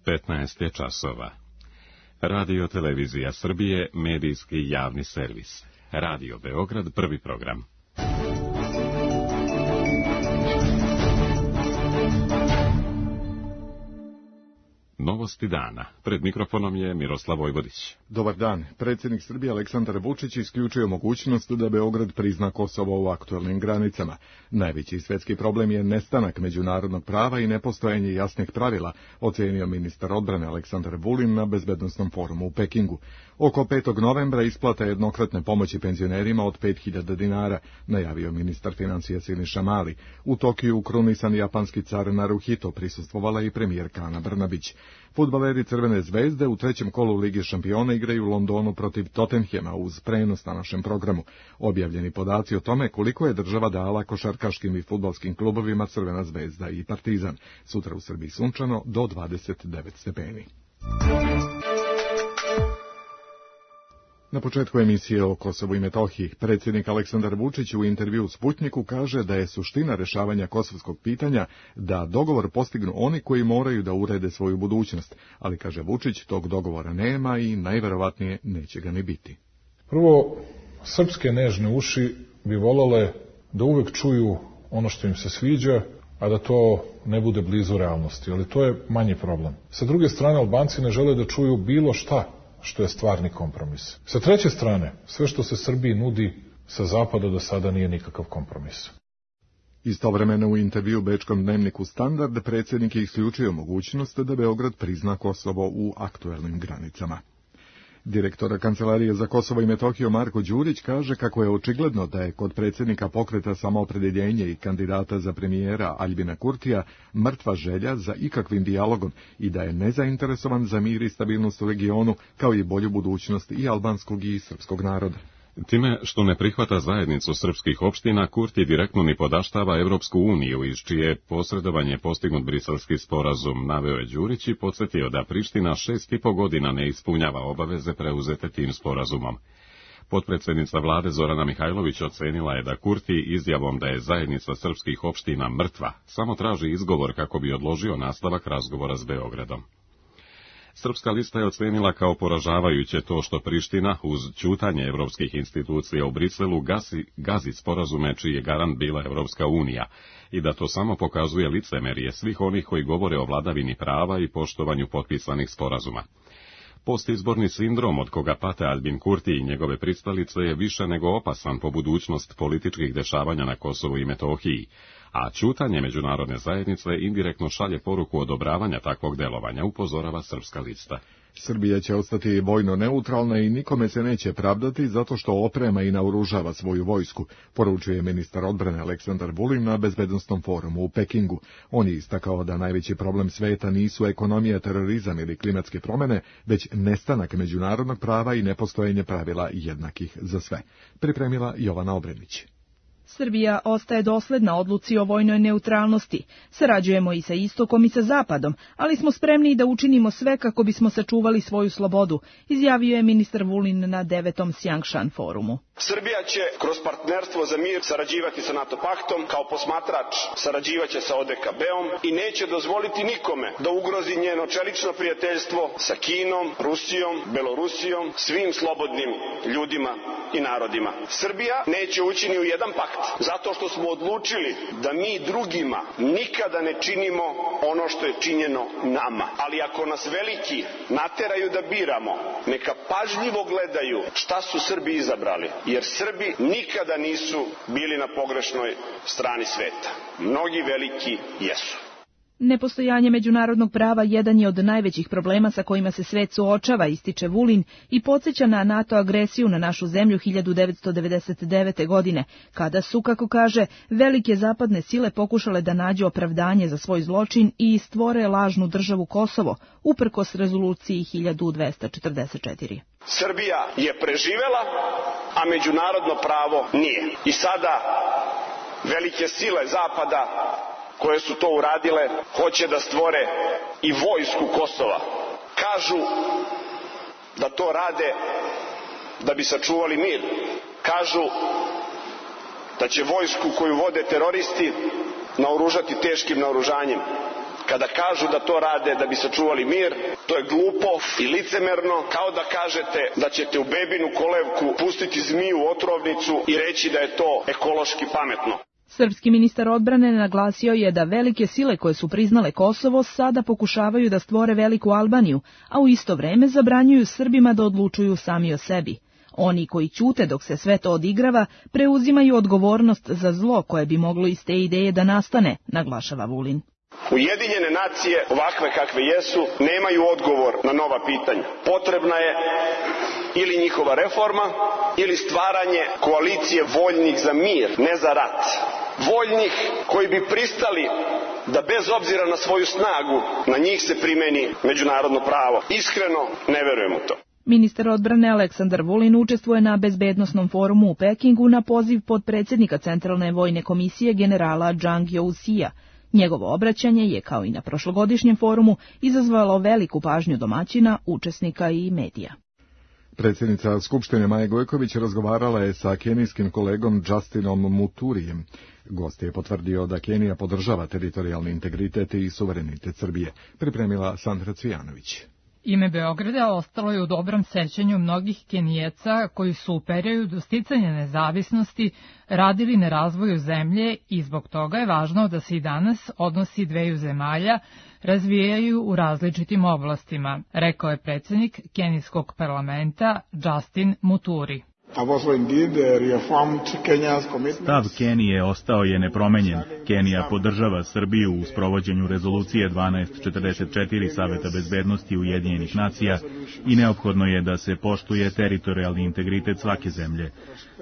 15 je časova. Radio Televizija Srbije, medijski javni servis. Radio Beograd, prvi program. Novosti dana. Pred mikrofonom je Miroslav Vojvodić. Dobar dan. Predsjednik Srbije Aleksandar Vučić isključio mogućnost da Beograd prizna Kosovo u aktuelnim granicama. Najveći svjetski problem je nestanak međunarodnog prava i nepostojanje jasnih pravila, ocenio ministar odbrane Aleksandar Vulin na bezbednosnom forumu u Pekingu. Oko 5. novembra isplata jednokratne pomoći penzionerima od 5.000 dinara, najavio ministar financija Siniša Mali. U Tokiju krunisan japanski car Naruhito prisustvovala i premijerka Ana Brnabić. Fudbaleri Crvene zvezde u trećem kolu Lige šampiona igraju u Londonu protiv Tottenhema uz prenos na našem programu. Objavljeni podaci o tome koliko je država dala košarkaškim i fudbalskim klubovima Crvena zvezda i Partizan. Sutra u Srbiji sunčano do 29 stepeni. Na početku emisije o Kosovu i Metohiji, predsjednik Aleksandar Vučić u intervjuu Sputnjiku kaže da je suština rješavanja kosovskog pitanja da dogovor postignu oni koji moraju da urede svoju budućnost, ali kaže Vučić tog dogovora nema i najverovatnije neće ga ni biti. Prvo, srpske nežne uši bi volele da uvek čuju ono što im se sviđa, a da to ne bude blizu realnosti, ali to je manji problem. Sa druge strane, Albanci ne žele da čuju bilo šta što je stvarni kompromis. Sa treće strane, sve što se Srbiji nudi sa zapada do sada nije nikakav kompromis. Istovremeno u intervju bečkom dnevniku Standard predsjednik je isključio mogućnost da Beograd prizna Kosovo u aktuelnim granicama. Direktor Kancelarije za Kosovo i Metohiju Marko Đurić kaže kako je očigledno da je kod predsjednika Pokreta Samoopredjeljenje i kandidata za premijera Aljbina Kurtija mrtva želja za ikakvim dijalogom i da je nezainteresovan za mir i stabilnost u regionu, kao i bolju budućnost i albanskog i srpskog naroda. Time što ne prihvata zajednicu srpskih opština, Kurti direktno ni podaštava Evropsku uniju, iz čije posredovanje postignut briselski sporazum, naveo je Đurić i podsjetio da Priština 6,5 godina ne ispunjava obaveze preuzete tim sporazumom. Potpredsjednica vlade Zorana Mihajlović ocenila je da Kurti izjavom da je zajednica srpskih opština mrtva samo traži izgovor kako bi odložio nastavak razgovora s Beogradom. Srpska lista je ocenila kao poražavajuće to što Priština, uz ćutanje evropskih institucija u Briselu, gazi sporazume čiji je garant bila Evropska unija i da to samo pokazuje licemerje svih onih koji govore o vladavini prava i poštovanju potpisanih sporazuma. Postizborni sindrom od koga pate Aljbin Kurti i njegove pristalice je više nego opasan po budućnost političkih dešavanja na Kosovu i Metohiji, a ćutanje međunarodne zajednice indirektno šalje poruku odobravanja takvog delovanja, upozorava Srpska lista. Srbija će ostati vojno neutralna i nikome se neće pravdati zato što oprema i naoružava svoju vojsku, poručuje ministar odbrane Aleksandar Vulin na bezbednosnom forumu u Pekingu. On je istakao da najveći problem sveta nisu ekonomija, terorizam ili klimatske promjene, već nestanak međunarodnog prava i nepostojanje pravila jednakih za sve. Pripremila Jovana Obrenić. Srbija ostaje dosledna odluci o vojnoj neutralnosti. Sarađujemo i sa istokom i sa zapadom, ali smo spremni da učinimo sve kako bismo sačuvali svoju slobodu, izjavio je ministar Vulin na 9. Sjangshan forumu. Srbija će kroz partnerstvo za mir sarađivati sa NATO paktom, kao posmatrač sarađivaće sa ODKB-om i neće dozvoliti nikome da ugrozi njeno čelično prijateljstvo sa Kinom, Rusijom, Belorusijom, svim slobodnim ljudima i narodima. Srbija neće ući ni u jedan pakt, zato što smo odlučili da mi drugima nikada ne činimo ono što je činjeno nama. Ali ako nas veliki nateraju da biramo, neka pažljivo gledaju šta su Srbi izabrali, jer Srbi nikada nisu bili na pogrešnoj strani sveta. Mnogi veliki jesu. Nepostojanje međunarodnog prava jedan je od najvećih problema sa kojima se svet suočava, ističe Vulin i podsjeća na NATO agresiju na našu zemlju 1999. godine, kada su, kako kaže, velike zapadne sile pokušale da nađu opravdanje za svoj zločin i stvore lažnu državu Kosovo, uprkos rezoluciji 1244. Srbija je preživela, a međunarodno pravo nije. I sada velike sile zapada koje su to uradile, hoće da stvore i vojsku Kosova. Kažu da to rade da bi sačuvali mir. Kažu da će vojsku koju vode teroristi naoružati teškim naoružanjem. kada kažu da to rade da bi sačuvali mir. To je glupo i licemerno, kao da kažete da ćete u bebinu kolevku pustiti zmiju u otrovnicu i reći da je to ekološki pametno. Srpski ministar odbrane naglasio je da velike sile koje su priznale Kosovo sada pokušavaju da stvore veliku Albaniju, a u isto vreme zabranjuju Srbima da odlučuju sami o sebi. Oni koji ćute dok se sve to odigrava, preuzimaju odgovornost za zlo koje bi moglo iz te ideje da nastane, naglašava Vulin. Ujedinjene nacije, ovakve kakve jesu, nemaju odgovor na nova pitanja. Potrebna je ili njihova reforma, ili stvaranje koalicije voljnih za mir, ne za rat. Voljnih koji bi pristali da bez obzira na svoju snagu, na njih se primeni međunarodno pravo. Iskreno ne verujem u to. Ministar odbrane Aleksandar Vulin učestvuje na bezbednosnom forumu u Pekingu na poziv potpredsjednika Centralne vojne komisije generala Zhang Youxia. Njegovo obraćanje je, kao i na prošlogodišnjem forumu, izazvalo veliku pažnju domaćina, učesnika i medija. Predsjednica Skupštine Maja Gojković razgovarala je sa kenijskim kolegom Justinom Muturijem. Gost je potvrdio da Kenija podržava teritorijalni integritet i suverenitet Srbije. Pripremila Sandra Cvijanović. Ime Beograda ostalo je u dobrom sećanju mnogih Kenijeca koji su u periodu sticanja nezavisnosti radili na razvoju zemlje i zbog toga je važno da se i danas odnosi dveju zemalja razvijaju u različitim oblastima, rekao je predsjednik kenijskog parlamenta Justin Muturi. Stav Kenije ostao je nepromenjen. Kenija podržava Srbiju u sprovođenju rezolucije 1244 Saveta bezbednosti Ujedinjenih nacija i neophodno je da se poštuje teritorijalni integritet svake zemlje.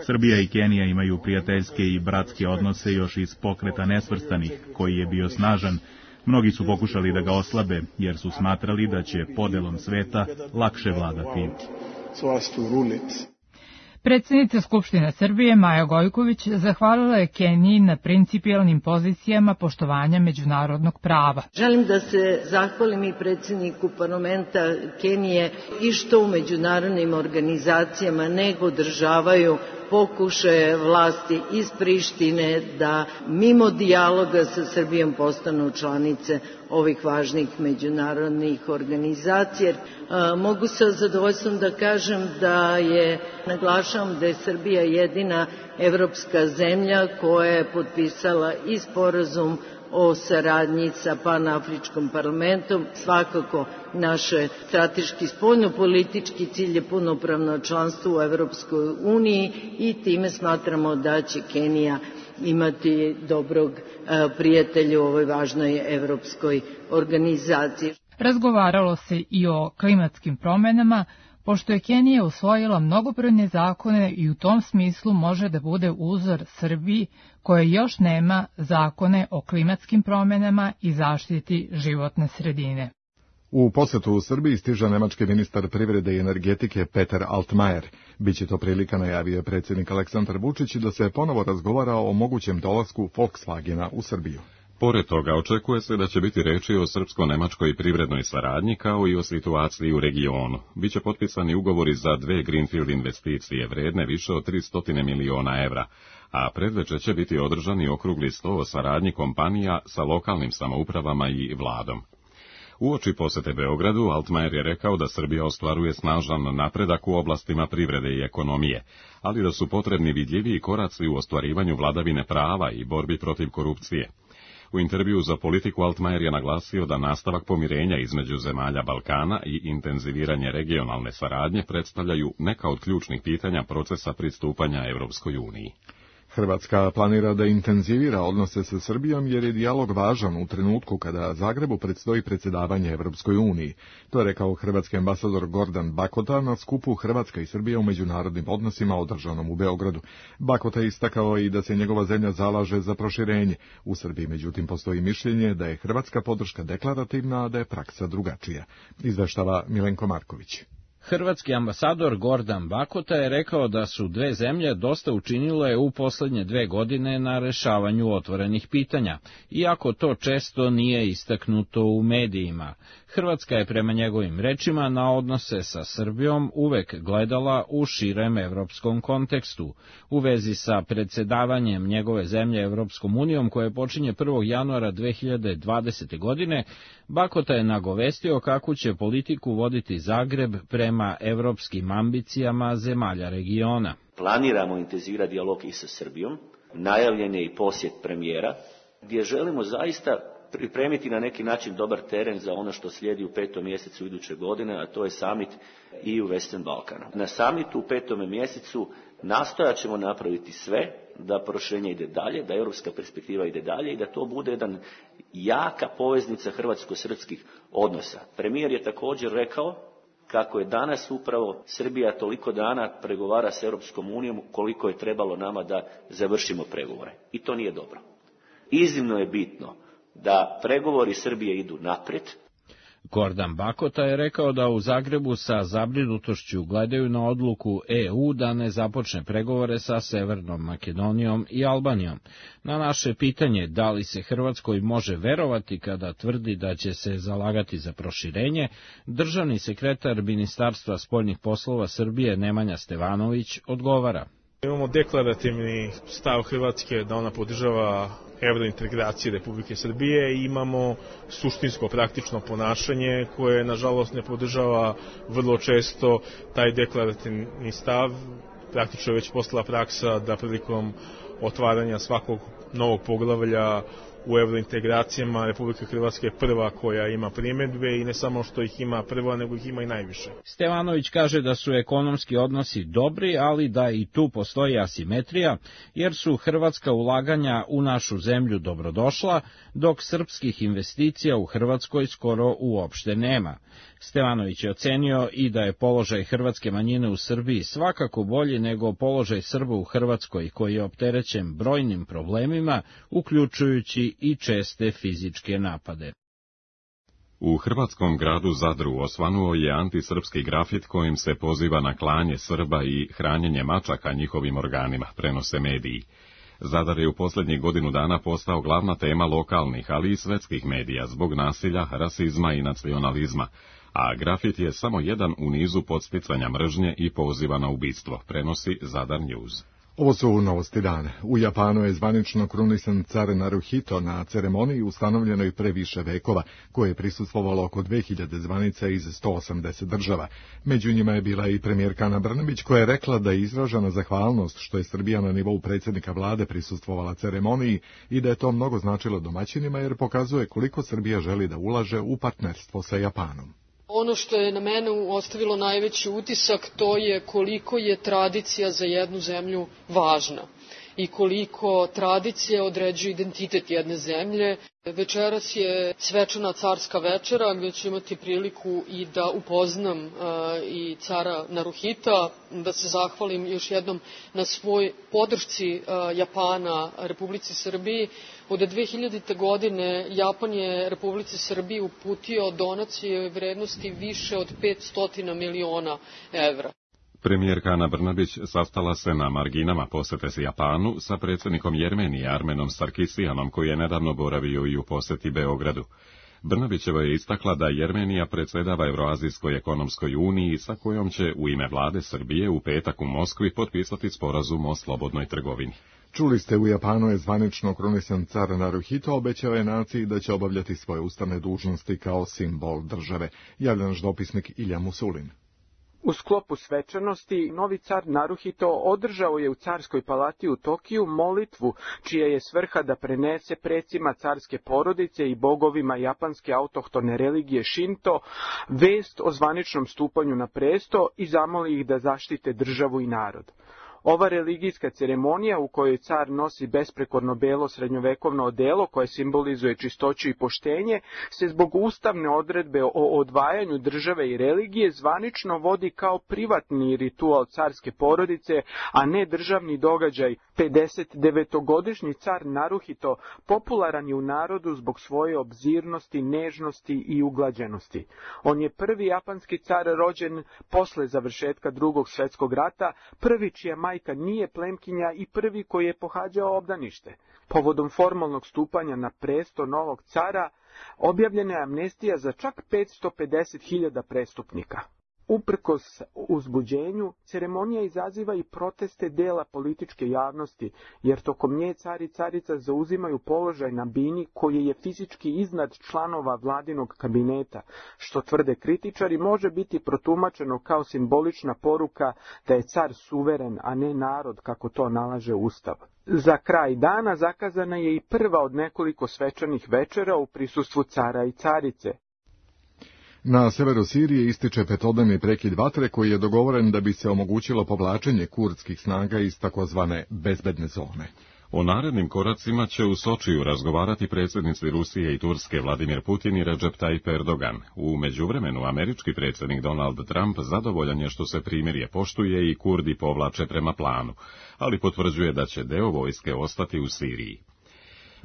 Srbija i Kenija imaju prijateljske i bratske odnose još iz pokreta nesvrstanih, koji je bio snažan. Mnogi su pokušali da ga oslabe, jer su smatrali da će podelom sveta lakše vladati. Predsjednica Skupštine Srbije Maja Gojković zahvalila je Keniji na principijelnim pozicijama poštovanja međunarodnog prava. Želim da se zahvalim i predsjedniku parlamenta Kenije i što u međunarodnim organizacijama ne podržavaju pokušaje vlasti iz Prištine da mimo dijaloga sa Srbijom postanu članice ovih važnih međunarodnih organizacija. Mogu sa zadovoljstvom da kažem da naglašavam da je Srbija jedina evropska zemlja koja je potpisala i sporazum o saradnji sa Panafričkim parlamentom. Svakako naš strateški spoljnopolitički cilj je punopravno članstvo u Evropskoj uniji i time smatramo da će Kenija imati dobrog prijatelja u ovoj važnoj evropskoj organizaciji. Razgovaralo se i o klimatskim promjenama, pošto je Kenija usvojila mnogobrojne zakone i u tom smislu može da bude uzor Srbiji koja još nema zakone o klimatskim promjenama i zaštiti životne sredine. U posetu u Srbiji stiže nemački ministar privrede i energetike Peter Altmaier. Biće to prilika, najavio predsjednik Aleksandar Vučić, da se ponovo razgovara o mogućem dolasku Volkswagena u Srbiju. Pored toga, očekuje se da će biti reči o srpsko-nemačkoj privrednoj saradnji kao i o situaciji u regionu. Biće potpisani ugovori za 2 greenfield investicije vredne više od 300 miliona evra, a predveče će biti održani okrugli sto o saradnji kompanija sa lokalnim samoupravama i vladom. Uoči posete Beogradu, Altmaier je rekao da Srbija ostvaruje snažan napredak u oblastima privrede i ekonomije, ali da su potrebni vidljiviji koraci u ostvarivanju vladavine prava i borbi protiv korupcije. U intervjuu za Politiku Altmaier je naglasio da nastavak pomirenja između zemalja Balkana i intenziviranje regionalne saradnje predstavljaju neka od ključnih pitanja procesa pristupanja Evropskoj uniji. Hrvatska planira da intenzivira odnose sa Srbijom jer je dijalog važan u trenutku kada Zagrebu predstoji predsjedavanje Evropskoj uniji. To je rekao hrvatski ambasador Gordan Bakota na skupu Hrvatska i Srbija u međunarodnim odnosima održanom u Beogradu. Bakota je istakao i da se njegova zemlja zalaže za proširenje. U Srbiji, međutim, postoji mišljenje da je hrvatska podrška deklarativna, a da je praksa drugačija. Izveštava Milenko Marković. Hrvatski ambasador Gordan Bakota je rekao da su dve zemlje dosta učinile u posljednje 2 godine na rešavanju otvorenih pitanja, iako to često nije istaknuto u medijima. Hrvatska je prema njegovim rečima na odnose sa Srbijom uvek gledala u širem evropskom kontekstu. U vezi sa predsedavanjem njegove zemlje Evropskom unijom, koje počinje 1. januara 2020. godine, Bakota je nagovestio kakvu će politiku voditi Zagreb prema evropskim ambicijama zemalja regiona. Planiramo intenzivirati dijalog i sa Srbijom, najavljen je i posjet premijera, gdje želimo zaista pripremiti na neki način dobar teren za ono što slijedi u 5. mjesecu iduće godine, a to je summit EU Western Balkana. Na summitu u 5. mjesecu nastojat ćemo napraviti sve da proširenje ide dalje, da europska perspektiva ide dalje i da to bude jedan jaka poveznica hrvatsko-srpskih odnosa. Premijer je također rekao kako je danas upravo Srbija toliko dana pregovara s Europskom unijom koliko je trebalo nama da završimo pregovore. I to nije dobro. Iznimno je bitno da pregovori Srbije idu naprijed. Gordan Bakota je rekao da u Zagrebu sa zabrinutošću gledaju na odluku EU da ne započne pregovore sa Severnom Makedonijom i Albanijom. Na naše pitanje da li se Hrvatskoj može verovati kada tvrdi da će se zalagati za proširenje, državni sekretar Ministarstva spoljnih poslova Srbije Nemanja Stevanović odgovara. Imamo deklarativni stav Hrvatske da ona podržava evrointegracije Republike Srbije i imamo suštinsko praktično ponašanje koje nažalost ne podržava vrlo često taj deklarativni stav. Praktično je već postala praksa da prilikom otvaranja svakog novog poglavlja u evrointegracijama Republika Hrvatska je prva koja ima primjedbe i ne samo što ih ima prva, nego ih ima i najviše. Stevanović kaže da su ekonomski odnosi dobri, ali da i tu postoji asimetrija, jer su hrvatska ulaganja u našu zemlju dobrodošla, dok srpskih investicija u Hrvatskoj skoro uopšte nema. Stevanović je ocenio i da je položaj hrvatske manjine u Srbiji svakako bolji nego položaj Srba u Hrvatskoj, koji je opterećen brojnim problemima, uključujući i česte fizičke napade. U hrvatskom gradu Zadru osvanuo je antisrpski grafit kojim se poziva na klanje Srba i hranjenje mačaka njihovim organima, prenose mediji. Zadar je u posljednjih godinu dana postao glavna tema lokalnih, ali i svetskih medija zbog nasilja, rasizma i nacionalizma, a grafit je samo jedan u nizu podsticanja mržnje i poziva na ubistvo, prenosi Zadar News. Ovo su novosti dana. U Japanu je zvanično krunisan car Naruhito na ceremoniji ustanovljenoj pre više vekova, koje je prisustvovalo oko 2000 zvanica iz 180 država. Među njima je bila i premijerka Ana Brnabić, koja je rekla da je izražena zahvalnost što je Srbija na nivou predsjednika vlade prisustvovala ceremoniji i da je to mnogo značilo domaćinima jer pokazuje koliko Srbija želi da ulaže u partnerstvo sa Japanom. Ono što je na mene ostavilo najveći utisak, to je koliko je tradicija za jednu zemlju važna i koliko tradicija određuje identitet jedne zemlje. Večeras je svečana carska večera gdje ću imati priliku i da upoznam i cara Naruhita, da se zahvalim još jednom na svoj podršci Japana Republici Srbiji. Od 2000. godine Japan je Republici Srbiji uputio donacije vrednosti više od 500 miliona evra. Premijerka Ana Brnabić sastala se na marginama posete s Japanu sa predsjednikom Jermenije Armenom Sarkisijanom, koji je nedavno boravio i u posjeti Beogradu. Brnabićeva je istakla da Jermenija predsjedava Euroazijskoj ekonomskoj uniji sa kojom će u ime vlade Srbije u petak u Moskvi potpisati sporazum o slobodnoj trgovini. Čuli ste, u Japanu je zvanično krunisan car Naruhito, obećao je naciji da će obavljati svoje ustavne dužnosti kao simbol države. Javlja naš dopisnik Ilja Musulin. U sklopu svečanosti, novi car Naruhito održao je u carskoj palati u Tokiju molitvu, čija je svrha da prenese precima carske porodice i bogovima japanske autohtone religije Shinto vest o zvaničnom stupanju na presto i zamoli ih da zaštite državu i narod. Ova religijska ceremonija u kojoj car nosi besprekorno belo srednjovekovno odelo koje simbolizuje čistoću i poštenje se zbog ustavne odredbe o odvajanju države i religije zvanično vodi kao privatni ritual carske porodice, a ne državni događaj. 59-godišnji car Naruhito popularan je u narodu zbog svoje obzirnosti, nežnosti i uglađenosti. On je prvi japanski car rođen posle završetka Drugog svjetskog rata, prvi čija majka nije plemkinja i prvi koji je pohađao obdanište. Povodom formalnog stupanja na presto novog cara, objavljena je amnestija za čak 550.000 prestupnika. Uprkos uzbuđenju, ceremonija izaziva i proteste dela političke javnosti, jer tokom nje car i carica zauzimaju položaj na bini koji je fizički iznad članova vladinog kabineta, što tvrde kritičari može biti protumačeno kao simbolična poruka da je car suveren, a ne narod, kako to nalaže Ustav. Za kraj dana zakazana je i prva od nekoliko svečanih večera u prisustvu cara i carice. Na severu Sirije ističe petodnevni prekid vatre koji je dogovoren da bi se omogućilo povlačenje kurdskih snaga iz takozvane bezbedne zone. O narednim koracima će u Sočiju razgovarati predsjednici Rusije i Turske Vladimir Putin i Recep Tayyip Erdogan. U međuvremenu američki predsjednik Donald Trump zadovoljan je što se primirje poštuje i Kurdi povlače prema planu, ali potvrđuje da će deo vojske ostati u Siriji.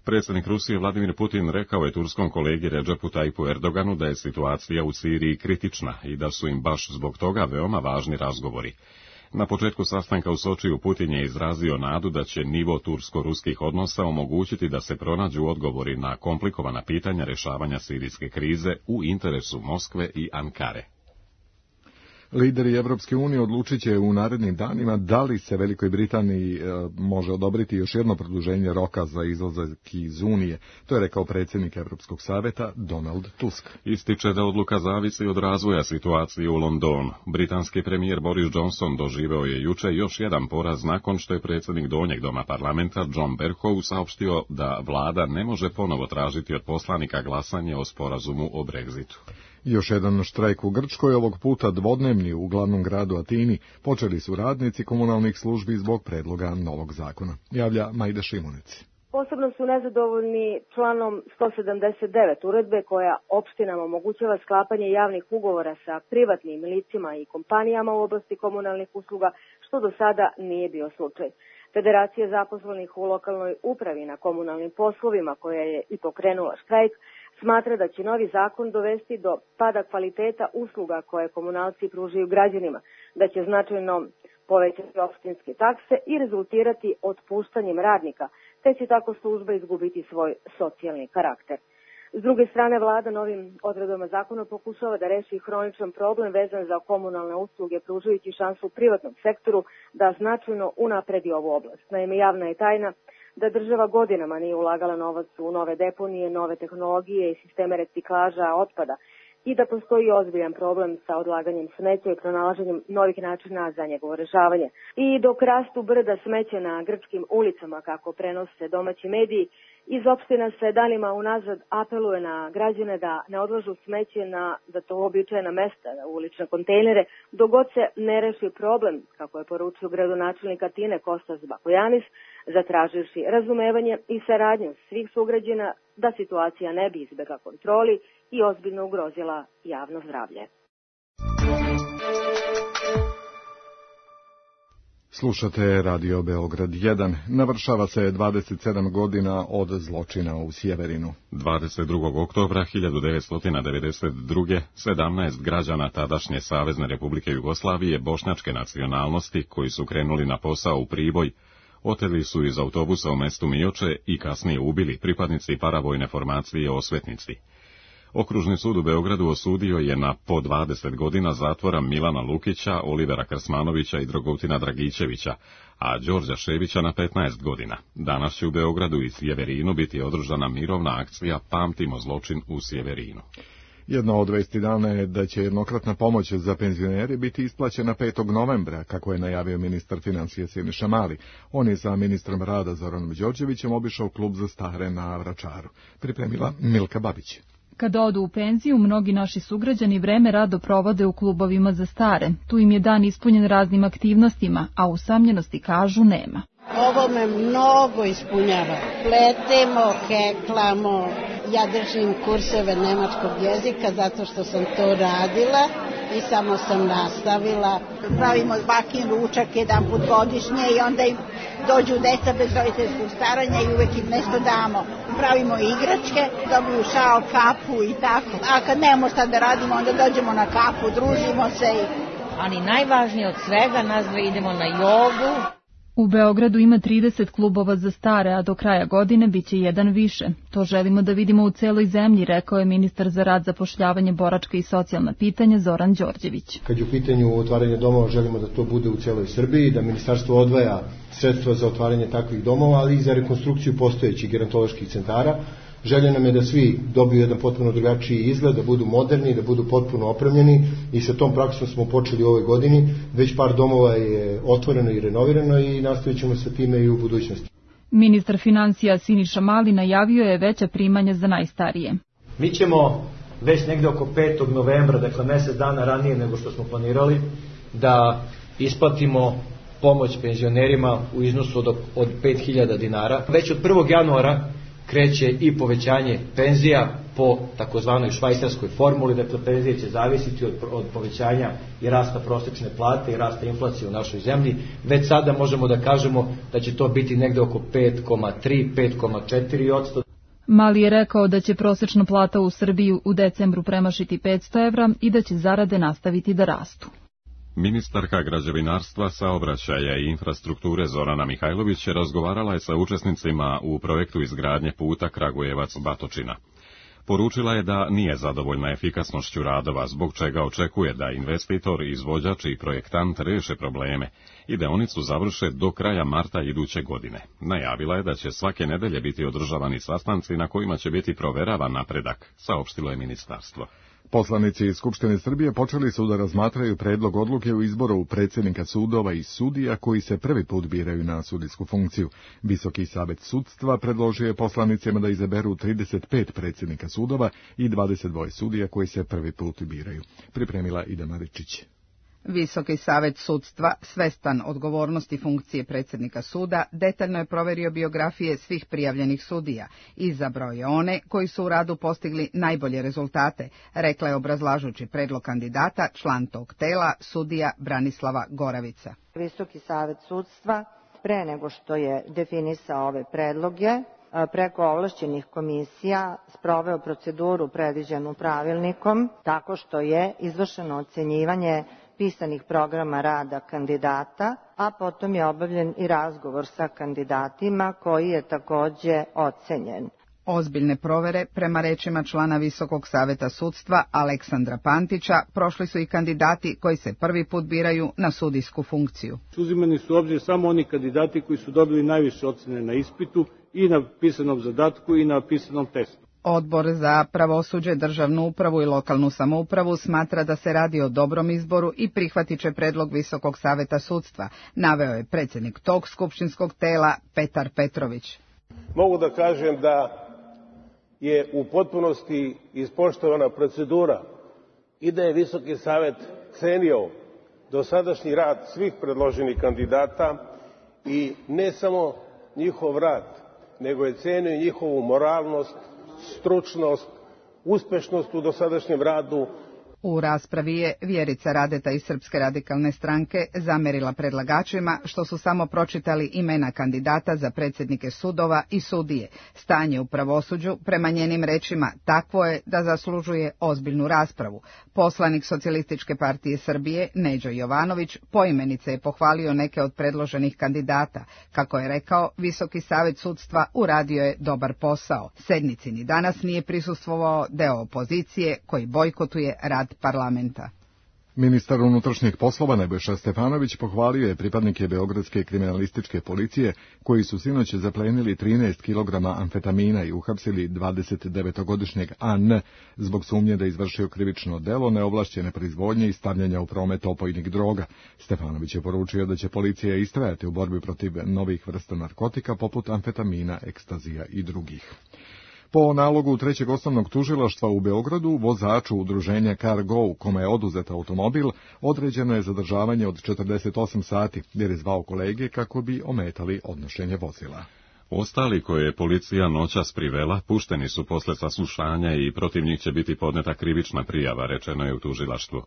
Predsjednik Rusije Vladimir Putin rekao je turskom kolegi Recepu Tayyipu Erdoganu da je situacija u Siriji kritična i da su im baš zbog toga veoma važni razgovori. Na početku sastanka u Sočiju Putin je izrazio nadu da će nivo tursko-ruskih odnosa omogućiti da se pronađu odgovori na komplikovana pitanja rješavanja sirijske krize u interesu Moskve i Ankare. Lideri Evropske unije odlučit će u narednim danima da li se Velikoj Britaniji može odobriti još jedno produženje roka za izlazak iz Unije. To je rekao predsjednik Europskog savjeta Donald Tusk. Ističe da odluka zavisi od razvoja situacije u Londonu. Britanski premijer Boris Johnson doživeo je juče još jedan poraz nakon što je predsjednik Donjeg doma parlamenta John Bercow saopštio da vlada ne može ponovo tražiti od poslanika glasanje o sporazumu o Brexitu. Još jedan štrajk u Grčkoj, ovog puta dvodnevni u glavnom gradu Atini, počeli su radnici komunalnih službi zbog predloga novog zakona. Javlja Majda Šimunici. Posebno su nezadovoljni članom 179 uredbe koja opštinama omogućava sklapanje javnih ugovora sa privatnim licima i kompanijama u oblasti komunalnih usluga, što do sada nije bio slučaj. Federacija zaposlenih u lokalnoj upravi na komunalnim poslovima, koja je i pokrenula štrajk, smatra da će novi zakon dovesti do pada kvaliteta usluga koje komunalci pružaju građanima, da će značajno povećati opštinske takse i rezultirati otpuštanjem radnika, te će tako služba izgubiti svoj socijalni karakter. S druge strane, vlada novim odredbama zakona pokušava da reši hroničan problem vezan za komunalne usluge, pružajući šansu privatnom sektoru da značajno unapredi ovu oblast. Naime, javna je tajna da država godinama nije ulagala novac u nove deponije, nove tehnologije i sisteme reciklaža otpada i da postoji ozbiljan problem sa odlaganjem smeća i pronalaženjem novih načina za njegovo rešavanje. I dok rastu brda smeća na grčkim ulicama, kako prenose domaći mediji, iz opština se danima unazad apeluje na građane da ne odlažu smeće na za to uobičajena mesta, u ulične kontejnere, dok god se ne reši problem, kako je poručio gradonačelnik Atine Kostas Bakojanis, zatraživši razumevanje i saradnju svih sugrađana da situacija ne bi izbegla kontroli i ozbiljno ugrozila javno zdravlje. Slušate Radio Beograd 1. Navršava se 27 godina od zločina u Sjeverinu. 22. oktobra 1992. 17 građana tadašnje Savezne Republike Jugoslavije bošnjačke nacionalnosti koji su krenuli na posao u Priboj, oteli su iz autobusa u mestu Mioče i kasnije ubili pripadnici paravojne formacije Osvetnici. Okružni sud u Beogradu osudio je na po 20 godina zatvora Milana Lukića, Olivera Krsmanovića i Drogutina Dragićevića, a Đorđa Ševića na 15 godina. Danas će u Beogradu i Sjeverinu biti održana mirovna akcija Pamtimo zločin u Sjeverinu. Jedna od vesti dana je da će jednokratna pomoć za penzionere biti isplaćena 5. novembra, kako je najavio ministar financija Siniša Mali. On je sa ministrom rada Zoranom Đorđevićem obišao klub za stare na Vračaru. Pripremila Milka Babić. Kada odu u penziju, mnogi naši sugrađani vreme rado provode u klubovima za stare. Tu im je dan ispunjen raznim aktivnostima, a usamljenosti, kažu, nema. Ovo me mnogo ispunjava. Pletemo, heklamo, ja držim kurseve nemačkog jezika zato što sam to radila i samo sam nastavila. Pravimo bakin ručak jedan put godišnje i onda im dođu deca bez roditeljskog staranja i uvek im nešto damo. Pravimo igračke, dobiju šal, kapu i tako. A kad nemamo šta da radimo, onda dođemo na kapu, družimo se. Ali najvažnije od svega, nas dve idemo na jogu. U Beogradu ima 30 klubova za stare, a do kraja godine biće jedan više. To želimo da vidimo u celoj zemlji, rekao je ministar za rad, zapošljavanje, boračka i socijalna pitanja Zoran Đorđević. Kad je u pitanju otvaranje domova, želimo da to bude u celoj Srbiji, da ministarstvo odvaja sredstva za otvaranje takvih domova, ali i za rekonstrukciju postojećih gerontoloških centara. Želja nam je da svi dobiju jedan potpuno drugačiji izgled, da budu moderni, da budu potpuno opremljeni i sa tom praksom smo počeli u ovoj godini. Već par domova je otvoreno i renovirano i nastavit ćemo sa time i u budućnosti. Ministar financija Siniša Mali najavio je veća primanja za najstarije. Mi ćemo već negde oko 5. novembra, dakle mesec dana ranije nego što smo planirali, da isplatimo pomoć penzionerima u iznosu od 5.000 dinara. Već od 1. januara kreće i povećanje penzija po takozvanoj švajcarskoj formuli, dakle penzije će zavisiti od povećanja i rasta prosečne plate i rasta inflacije u našoj zemlji. Već sada možemo da kažemo da će to biti negde oko 5,3-5,4%. Mali je rekao da će prosečna plata u Srbiji u decembru premašiti 500 evra i da će zarade nastaviti da rastu. Ministarka građevinarstva, saobraćaja i infrastrukture Zorana Mihajlović razgovarala je sa učesnicima u projektu izgradnje puta Kragujevac-Batočina. Poručila je da nije zadovoljna efikasnošću radova, zbog čega očekuje da investitor, izvođač i projektant reše probleme i deonicu završe do kraja marta iduće godine. Najavila je da će svake nedelje biti održavani sastanci na kojima će biti proveravan napredak, saopštilo je ministarstvo. Poslanici iz Skupštine Srbije počeli su da razmatraju predlog odluke u izboru predsjednika sudova i sudija koji se prvi put biraju na sudijsku funkciju. Visoki savet sudstva predložio je poslanicima da izaberu 35 predsjednika sudova i 22 sudija koji se prvi put biraju. Pripremila Ida Maričić. Visoki savet sudstva, svestan odgovornosti funkcije predsjednika suda, detaljno je proverio biografije svih prijavljenih sudija i izabrao je one koji su u radu postigli najbolje rezultate, rekla je obrazlažući predlog kandidata član tog tela, sudija Branislava Goravica. Visoki savet sudstva, pre nego što je definisao ove predloge, preko ovlašćenih komisija sproveo proceduru predviđenu pravilnikom, tako što je izvršeno ocenjivanje pisanih programa rada kandidata, a potom je obavljen i razgovor sa kandidatima koji je takođe ocenjen. Ozbiljne provere, prema rečima člana Visokog saveta sudstva Aleksandra Pantića, prošli su i kandidati koji se prvi put biraju na sudijsku funkciju. Uzimani su u obzir samo oni kandidati koji su dobili najviše ocene na ispitu i na pisanom zadatku i na pisanom testu. Odbor za pravosuđe, državnu upravu i lokalnu samoupravu smatra da se radi o dobrom izboru i prihvatit će predlog Visokog saveta sudstva, naveo je predsjednik tog skupštinskog tela Petar Petrović. Mogu da kažem da je u potpunosti ispoštovana procedura i da je Visoki savet cenio dosadašnji rad svih predloženih kandidata i ne samo njihov rad, nego je cenio njihovu moralnost, stručnost, uspešnost u dosadašnjem radu. U raspravi je Vjerica Radeta iz Srpske radikalne stranke zamerila predlagačima što su samo pročitali imena kandidata za predsjednike sudova i sudije. Stanje u pravosuđu, prema njenim rečima, takvo je da zaslužuje ozbiljnu raspravu. Poslanik Socijalističke partije Srbije, Neđo Jovanović, poimenice je pohvalio neke od predloženih kandidata. Kako je rekao, Visoki savet sudstva uradio je dobar posao. Sednici ni danas nije prisustvovao deo opozicije koji bojkotuje rad parlamenta. Ministar unutrašnjih poslova Nebojša Stefanović pohvalio je pripadnike Beogradske kriminalističke policije koji su sinoć zaplenili 13 kg amfetamina i uhapsili 29-godišnjeg An zbog sumnje da izvršio krivično delo neovlašćene proizvodnje i stavljanja u promet opojnih droga. Stefanović je poručio da će policija istrajati u borbi protiv novih vrsta narkotika poput amfetamina, ekstazija i drugih. Po nalogu trećeg osnovnog tužilaštva u Beogradu, vozaču udruženja CarGo, kome je oduzet automobil, određeno je zadržavanje od 48 sati, jer je zvao kolege kako bi ometali odnošenje vozila. Ostali koje je policija noćas privela, pušteni su posle saslušanja i protiv njih će biti podneta krivična prijava, rečeno je u tužilaštvu.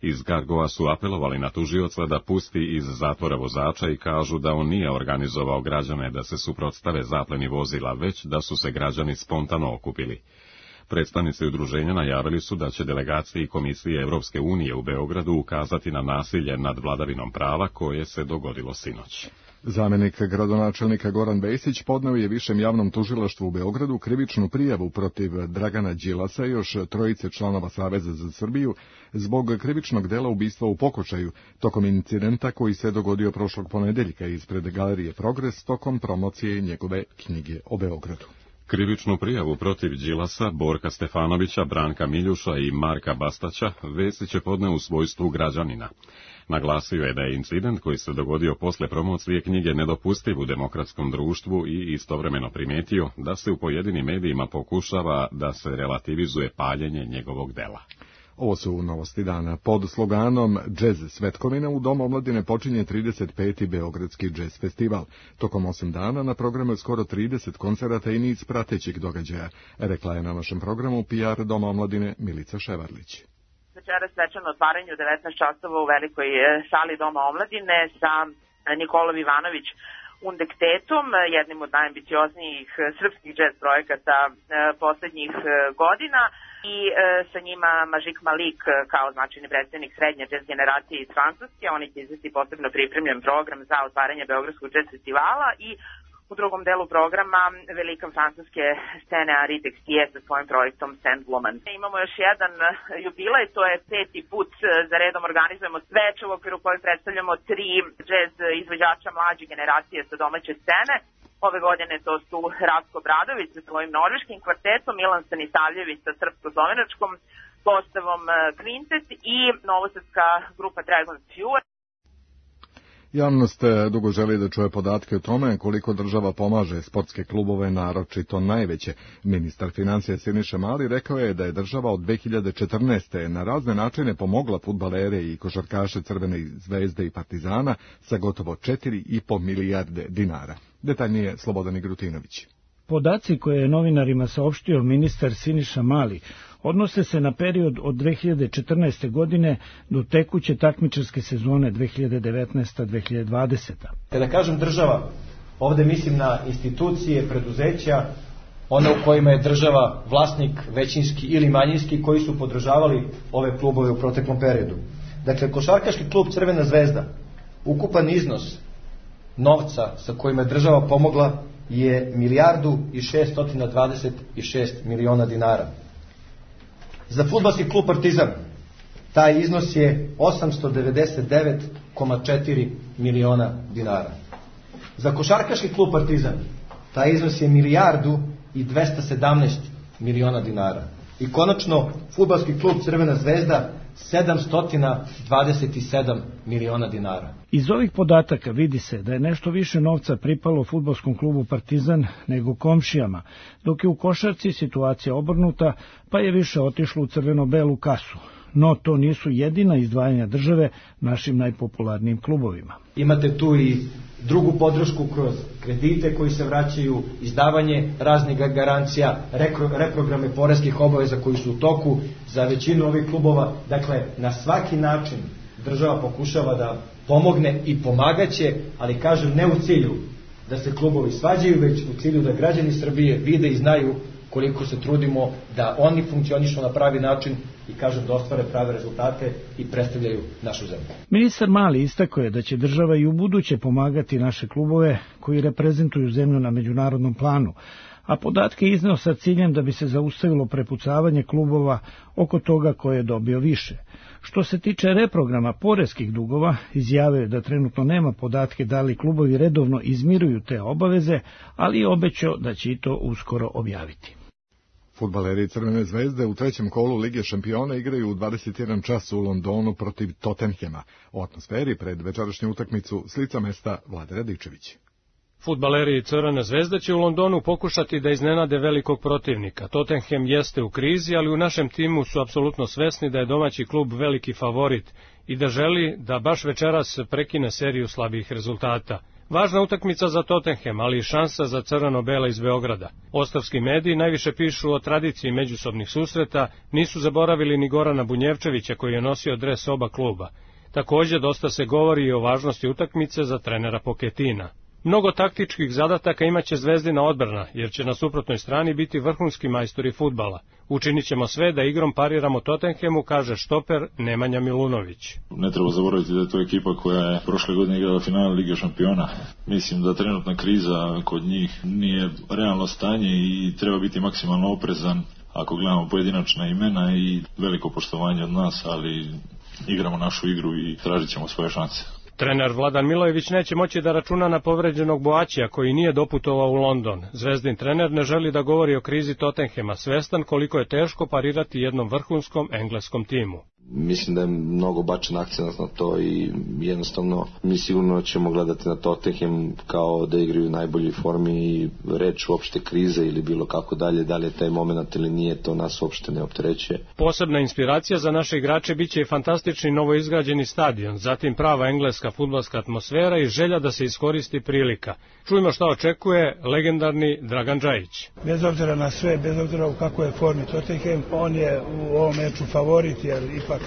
Iz CarGoa su apelovali na tužioca da pusti iz zatvora vozača i kažu da on nije organizovao građane da se suprotstave zapleni vozila, već da su se građani spontano okupili. Predstavnici udruženja najavili su da će delegacije i komisije Evropske unije u Beogradu ukazati na nasilje nad vladavinom prava koje se dogodilo sinoć. Zamjenik gradonačelnika Goran Bejsić podneo je Višem javnom tužilaštvu u Beogradu krivičnu prijavu protiv Dragana Đilasa i još trojice članova Saveza za Srbiju zbog krivičnog dela ubistva u pokušaju tokom incidenta koji se dogodio prošlog ponedeljka ispred Galerije Progres tokom promocije njegove knjige o Beogradu. Krivičnu prijavu protiv Đilasa, Borka Stefanovića, Branka Miljuša i Marka Bastaća Vesić je podneo u svojstvu građanina. Naglasio je da je incident koji se dogodio posle promocije knjige nedopustiv u demokratskom društvu i istovremeno primijetio da se u pojedinim medijima pokušava da se relativizuje paljenje njegovog dela. Ovo su novosti dana. Pod sloganom Džez Svetkovina u Domu omladine počinje 35. Beogradski džez festival. Tokom 8 dana na programu je skoro 30 koncerata i niz pratećih događaja, rekla je na našem programu PR Doma omladine Milica Ševarlić. Večeras svečano otvaranje u 19 časova u velikoj sali Doma omladine sa Nikolom Ivanović Undektetom, jednim od najambicioznijih srpskih džez projekata poslednjih godina, i sa njima Mažik Malik kao značajni predstavnik srednje džez generacije iz Francuske. Oni će izvesti posebno pripremljen program za otvaranje Beogradskog džez festivala i u drugom delu programa velika francuske scene Henri Texier sa svojim projektom Sandwoman. Imamo još jedan jubilej, to je 5. put za redom organizujemo sveč u okviru kojeg predstavljamo 3 džez izvođača mlađe generacije sa domaće scene. Ove godine to su Ratko Bradović sa svojim norveškim kvartetom, Milan Stanisavljević sa srpsko-slovenačkom postavom Kvintet i novosadska grupa Dragon's Fuel. Javnost dugo želi da čuje podatke o tome koliko država pomaže sportske klubove, naročito najveće. Ministar financija Siniša Mali rekao je da je država od 2014. na razne načine pomogla fudbalere i košarkaše Crvene zvezde i Partizana sa gotovo 4,5 milijarde dinara. Detaljnije Slobodan Igrutinović. Podaci koje je novinarima saopštio ministar Siniša Mali odnose se na period od 2014. godine do tekuće takmičarske sezone 2019-2020. Kada kažem država, ovde mislim na institucije, preduzeća, one u kojima je država vlasnik većinski ili manjinski, koji su podržavali ove klubove u proteklom periodu. Dakle, košarkaški klub Crvena zvezda, ukupan iznos novca sa kojima je država pomogla je 1.626 miliona dinara. Za fudbalski klub Partizan taj iznos je 899,4 miliona dinara. Za košarkaški klub Partizan taj iznos je 1.217 miliona dinara. I konačno fudbalski klub Crvena zvezda 727 miliona dinara. Iz ovih podataka vidi se da je nešto više novca pripalo fudbalskom klubu Partizan nego komšijama, dok je u košarci situacija obrnuta, pa je više otišlo u crveno-belu kasu. No to nisu jedina izdvajanja države našim najpopularnijim klubovima. Imate tu i drugu podršku kroz kredite koji se vraćaju, izdavanje raznih garancija, reprograme poreskih obaveza koji su u toku za većinu ovih klubova. Dakle, na svaki način država pokušava da pomogne i pomagaće, ali kažem ne u cilju da se klubovi svađaju, već u cilju da građani Srbije vide i znaju koliko se trudimo da oni funkcionišu na pravi način i kažem da ostvare prave rezultate i predstavljaju našu zemlju. Ministar Mali istakao je da će država i u buduće pomagati naše klubove koji reprezentuju zemlju na međunarodnom planu, a podatke izneo sa ciljem da bi se zaustavilo prepucavanje klubova oko toga ko je dobio više. Što se tiče reprograma poreskih dugova, izjavio je da trenutno nema podatke da li klubovi redovno izmiruju te obaveze, ali je obećao da će i to uskoro objaviti. Fudbaleri Crvene zvezde u trećem kolu Lige šampiona igraju u 21 čas u Londonu protiv Tottenhema. O atmosferi pred večerašnju utakmicu s lica mesta Vlade Radičević. Fudbaleri Crvene zvezde će u Londonu pokušati da iznenade velikog protivnika. Tottenham jeste u krizi, ali u našem timu su apsolutno svesni da je domaći klub veliki favorit i da želi da baš večeras prekine seriju slabih rezultata. Važna utakmica za Tottenham, ali i šansa za crveno-bela iz Beograda. Ostavski mediji najviše pišu o tradiciji međusobnih susreta, nisu zaboravili ni Gorana Bunjevčevića koji je nosio dres oba kluba. Također dosta se govori i o važnosti utakmice za trenera Pochetina. Mnogo taktičkih zadataka imaće Zvezdina odbrana, jer će na suprotnoj strani biti vrhunski majstori fudbala. Učinit ćemo sve da igrom pariramo Tottenhamu, kaže štoper Nemanja Milunović. Ne treba zaboraviti da je to ekipa koja je prošle godine igrala finale Lige šampiona. Mislim da trenutna kriza kod njih nije realno stanje i treba biti maksimalno oprezan ako gledamo pojedinačna imena i veliko poštovanje od nas, ali igramo našu igru i tražit ćemo svoje šanse. Trener Vladan Milojević neće moći da računa na povređenog Boačija koji nije doputovao u London. Zvezdin trener ne želi da govori o krizi Tottenhama, svestan koliko je teško parirati jednom vrhunskom engleskom timu. Mislim da je mnogo bačen akcent na to i jednostavno mi sigurno ćemo gledati na Tottenham kao da igraju u najboljoj formi i reč uopšte krize ili bilo kako dalje, da li je taj moment ili nije, to nas uopšte ne opterećuje. Posebna inspiracija za naše igrače biće i fantastični novoizgrađeni stadion, zatim prava engleska fudbalska atmosfera i želja da se iskoristi prilika. Čujmo šta očekuje legendarni Dragan Džajić. Bez obzira na sve, bez obzira u kakvoj je formi Tottenham, on je u ovom meču favorit, jer ipak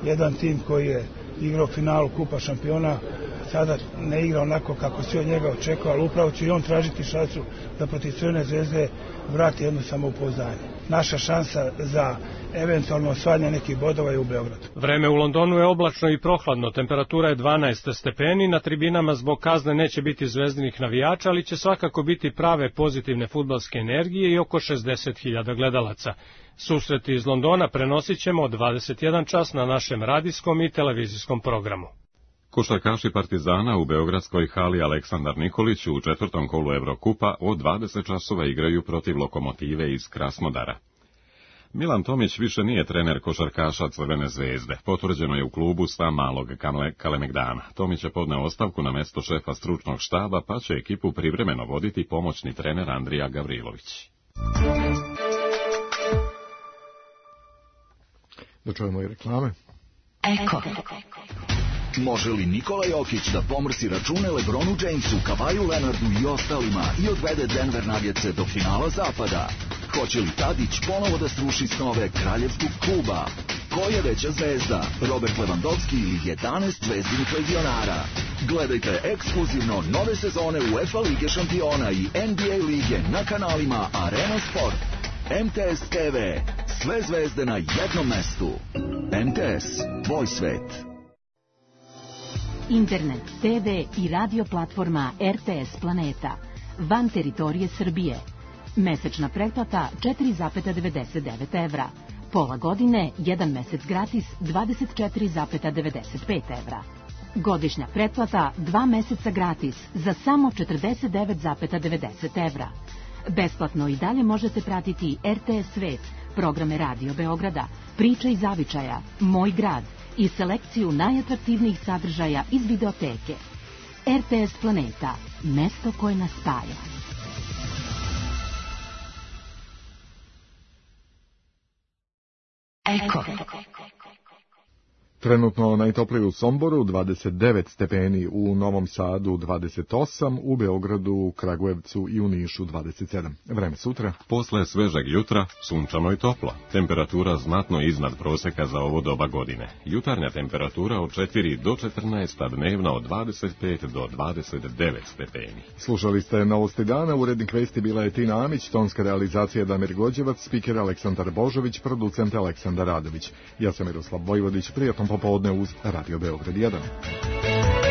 jedan tim koji je igrao finalu Kupa šampiona sada ne igra onako kako svi od njega očekuje, ali upravo će i on tražiti šansu da protiv Crvene zvezde vrati jedno samopouzdanje. Naša šansa za eventualno osvajanje nekih bodova je u Beogradu. Vreme u Londonu je oblačno i prohladno, temperatura je 12 stepeni, na tribinama zbog kazne neće biti zvezdinih navijača, ali će svakako biti prave pozitivne fudbalske energije i oko 60.000 gledalaca. Susreti iz Londona prenosit ćemo od 21 čas na našem radijskom i televizijskom programu. Košarkaši Partizana u beogradskoj hali Aleksandar Nikolić u četvrtom kolu Evrokupa od 20 časova igraju protiv Lokomotive iz Krasnodara. Milan Tomić više nije trener košarkaša Crvene zvezde. Potvrđeno je u klubu sta malog Kalemegdana. Tomić je podneo ostavku na mesto šefa stručnog štaba, pa će ekipu privremeno voditi pomoćni trener Andrija Gavrilović. Da čujemo i reklame. Eko. Može li Nikola Jokić da pomrsi račune LeBronu Jamesu, Kavaju Leonardu i ostalima i odvede Denver Nuggetse do finala zapada? Hoće li Tadić ponovo da sruši snove kraljevskog kluba? Ko je veća zvezda, Robert Lewandowski ili 11 zvezdinih legionara? Gledajte ekskluzivno nove sezone UEFA Lige šampiona i NBA lige na kanalima Arena Sport. MTS TV, sve zvezde na jednom mestu. MTS, tvoj svet. Internet, TV i radio platforma RTS Planeta. Van teritorije Srbije. Mesečna pretplata 4,99 evra. Pola godine, 1 mesec gratis 24,95 evra. Godišnja pretplata 2 meseca gratis za samo 49,90 evra. Besplatno i dalje možete pratiti RTS Svet, programe Radio Beograda, Priča iz Zavičaja, Moj grad i selekciju najatraktivnijih sadržaja iz videoteke. RTS Planeta, mesto koje nas spaja. Eko. Trenutno najtoplije u Somboru 29 stepeni, u Novom Sadu 28, u Beogradu, Kragujevcu i u Nišu 27. Vreme sutra. Posle svežeg jutra, sunčano i toplo. Temperatura znatno iznad proseka za ovo doba godine. Jutarnja temperatura od 4 do 14, a dnevna od 25 do 29 stepeni. Slušali ste Novosti dana, urednik vesti bila je Tina Amić, tonska realizacija Damir Gođevac, spiker Aleksandar Božović, producent Aleksandar Radović. Ja sam Miroslav Vojvodić, prijatno popodne uz Radio Beograd 1.